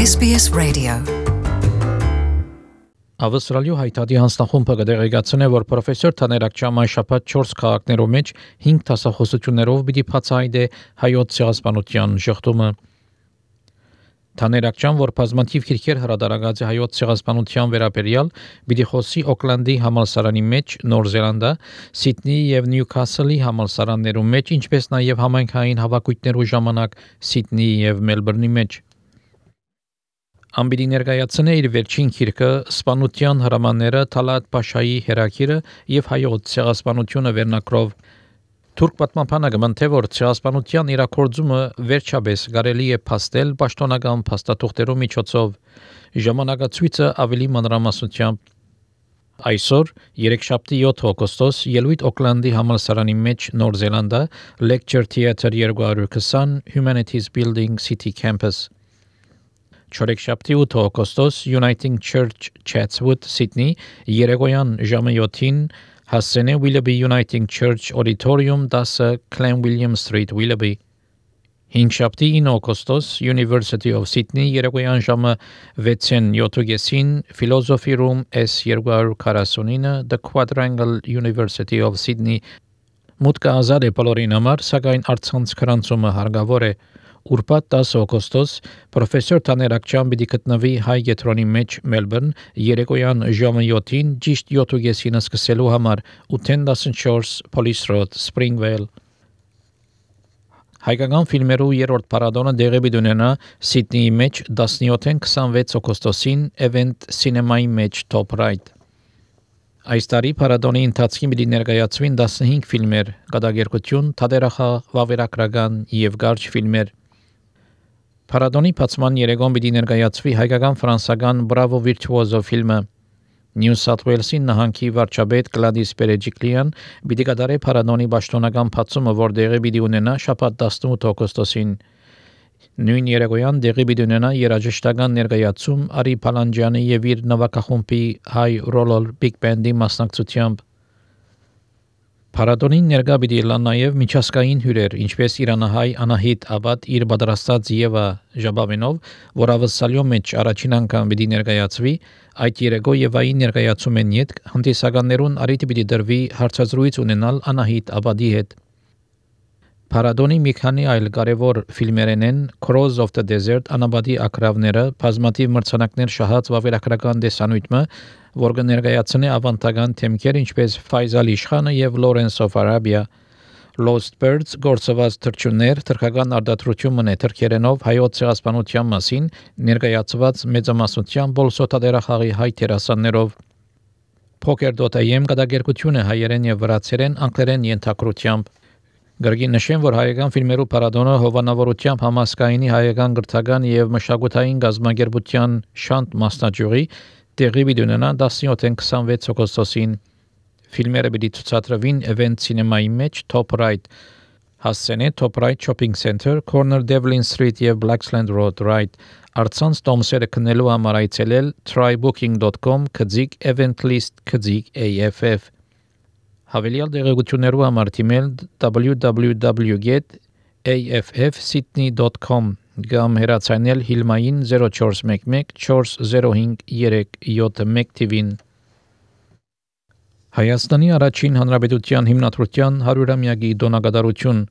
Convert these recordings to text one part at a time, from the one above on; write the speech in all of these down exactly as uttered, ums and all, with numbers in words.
S B S Radio. Ավստրալիու հայտարարի հանձնախումբը կդեղեկացնե, որ պրոֆեսոր Թաներակչյանը շաբաթ չորս քաղաքներով մեջ հինգ դասախոսություններով պիտի բացահայտե հայոց ցեղասպանության շղթումը։ Թաներակչյան, որ բազմաթիվ քիրքեր հրադարագած է հայոց ցեղասպանության վերաբերյալ, պիտի խոսի Օկլանդի համալսարանի մեջ, Նոր Զելանդա, Սիդնեի եւ Նյուքասլի համալսարաններում մեջ, ինչպես նաեւ համայնքային հավաքույթներու ժամանակ Սիդնեի եւ Մելբուրնի մեջ։ Ամբիդի ներկայացնե իր վերջին քիրքը «Սպանության հրամանները» Թալատ Փաշայի հերակիրը եւ հայոց ցեղասպանությունը վերնակրով։ Թուրք պատմապանը գմնթե որ ցեղասպանության իրաքորձումը վերջապես կարելի է փաստել պաշտոնական փաստաթուղթերով միջոցով։ Ժամանակացույցը ավելի մանրամասնությամբ այսօր երեքշաբթի յոթ օգոստոս ելույթ Օկլանդի համալսարանի մեջ Նոր Զելանդա Lecture Theatre երկու քսան Humanities Building City Campus Չորեքշաբթի ութ օգոստոս Uniting Church Chatswood Sydney երեկոյան ժամը յոթին հասցենե Willoughby Uniting Church Auditorium դասը Clanwilliam Street Willoughby հինգշաբթի ինը օգոստոս University of Sydney երեկոյան ժամը վեցին յոթ Philosophy Room S երկու քառասունինը The Quadrangle University of Sydney մուտքը ազատ է բոլորին համար, սակայն առցանց քրանցումը հարկավոր է Ուրբաթ դասը օգոստոս պրոֆեսոր Թաներակչյան պիտի գտնվի հայ կետրոնի մեջ Մելբուրն երեկոյան ժամը յոթին ճիշտ յոթ սկսելու համար ութ տասնչորս Police Road Springvale Հայկական ֆիլմերու երրորդ փառատոնը դեղի ունենա Սիդնեի մեջ տասնյոթ քսանվեց օգոստոսին Event Cinema-ի մեջ Top Right Այս տարի փառատոնի ընթացքին պիտի ներկայացվին տասնհինգ ֆիլմեր, կատակերգություն, թատերախաղ, վավերագրական եւ կարճ ֆիլմեր Փառատոնի բացման երեկոն պիտի ներկայացվի հայկական ֆրանսական Bravo Virtuoso ֆիլմը New South Wales-ի նահանգի վարչապետ Գլադիս Բերեջիկլյան պիտի կատարի փառատոնի պաշտոնական բացումը, որ դեղի պիտի ունենա շաբաթ տասնութ օգոստոսին Նույն երեկոյան դեղի պիտի ունենա երաժշտական ներկայացում Արի Փալանջյանի եւ իր նվագախումբի High Roller Big Band-ի մասնակցությամբ Փառատոնին ներկա պիտի լան նաև միջազգային հյուրեր, ինչպես իրանահայ Անահիտ Աբադ իր պատրաստած Եվա Ժաբավենով, որ ավսալյո մեջ առաջին անգամ պիտի ներկայացվի, այդ երեկո Եվայի ներկայացում են յետ հանդիսականներուն արիթ պիտի դրվի հարցազրույց ունենալ Անահիտ Աբադի հետ։ Փառատոնի մի քանի այլ կարևոր ֆիլմերեն են Crows of the Desert Անաբադի ակրավները, բազմաթիվ մրցանակներ շահած վավերագրական տեսանյութը, որ կներկայացնի ավանդական թեմքեր ինչպես Ֆայզալ Իշխանը եւ Lawrence of Arabia Lost Birds գործված թռչուններ թրքական արտադրությունն է թրքերենով հայոց ցեղասպանության մասին ներկայացված մեծամասնության բոլսոտադերախաղի հայ տերասաններով Poker.am կատակերգությունը հայերեն եւ վրացերեն անգլերեն ենթակրությամբ Գրգին նշեն, որ հայկական ֆիլմերու փառատոնը հովանավորությամբ համասկայինի հայկական գրթական եւ մշակութային գազագերբության շանտ մասնաճյուղի տեղի պիտի ունենա տասնյոթ քսանվեց օգոստոսին ֆիլմերը պիտի ցուցադրվին Event Cinema-ի մեջ Top Right հասցենե Top Right Shopping Center Corner Devlin Street եւ Blaxland Road Right Արցանց տոմսերը քննելու համար այցելել try booking dot com քծիկ event list քծիկ A F F Հավելյալ դեղեցություններու համար թիմել w w w dot a f f sydney dot com կամ հեռացանել Հիլմային zero four one one four zero five three seven one թիվին Հայաստանի առաջին հանրապետության հիմնադրության հարյուրամյակի դոնակատարություն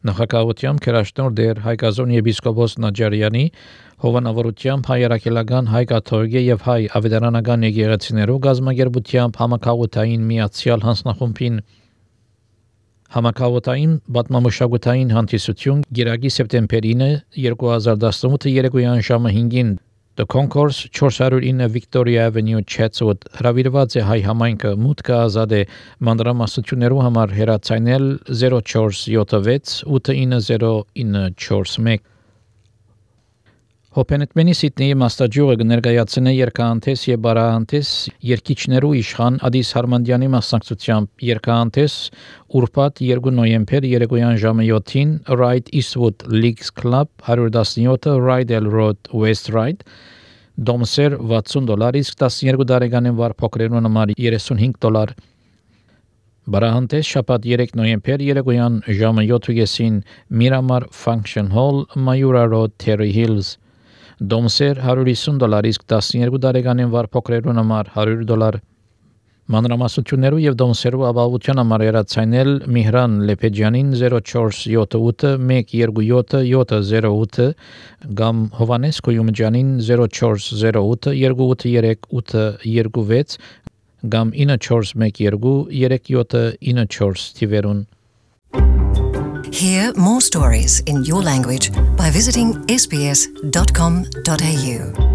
Նախագահությամբ քերաշնոր դեր Հայկազոն եպիսկոպոս Նաջարյանի հովանավորությամբ հայ երակելական հայ կաթողիկե եւ հայ ավետարանական եկեղեցիներու գազմագերբությամբ համակարգային միացյալ հանձնախումբին Համակարգային պատմամշակութային հանդիսություն Գիրագի սեպտեմբերին երկու հազար տասնութ երեկոյան ժամը հինգին The Concourse four oh nine Victoria Avenue Chatswood հրավիրված է հայ համայնքը մուտքը ազատ է մանրամասնություններու համար հեռացանել zero four seven six eight nine zero nine four one Հոփենետմենի Սիդնեի մաստաճյուղը կներկայացնե երկհանտես եւ բարահանտես երկիչներու իշխան Ադիս Հարմանդյանի մասնակցությամբ երկհանտես ուրբաթ երկու նոյեմբեր երեկոյան ժամը յոթին Right Eastwood Leagues Club one seventeen Rydell Road West Ryde Դոմսեր վաթսուն դոլար իսկ տասնյոթ տարեկանին վար փոքրերուն համար երեսունհինգ դոլար Բարահանտես շաբաթ երեք նոյեմբեր երեկոյան ժամը յոթին Miramar Function Hall Mayura Road Terry Hills Դոմսեր one hundred fifty դոլար, իսկ twelve տարեկանին վար փոքրերուն համար one hundred դոլար։ Մանրամասնություններու եւ դոմսերու ապահովության համար երացայնել Միհրան Լեփեջյանին zero four seven eight one two seven seven zero eight կամ Հովանես Կոյումջյանին zero four zero eight two eight three eight two six կամ nine four one two three seven nine four թիվերուն։ Hear more stories in your language by visiting s b s dot com dot a u.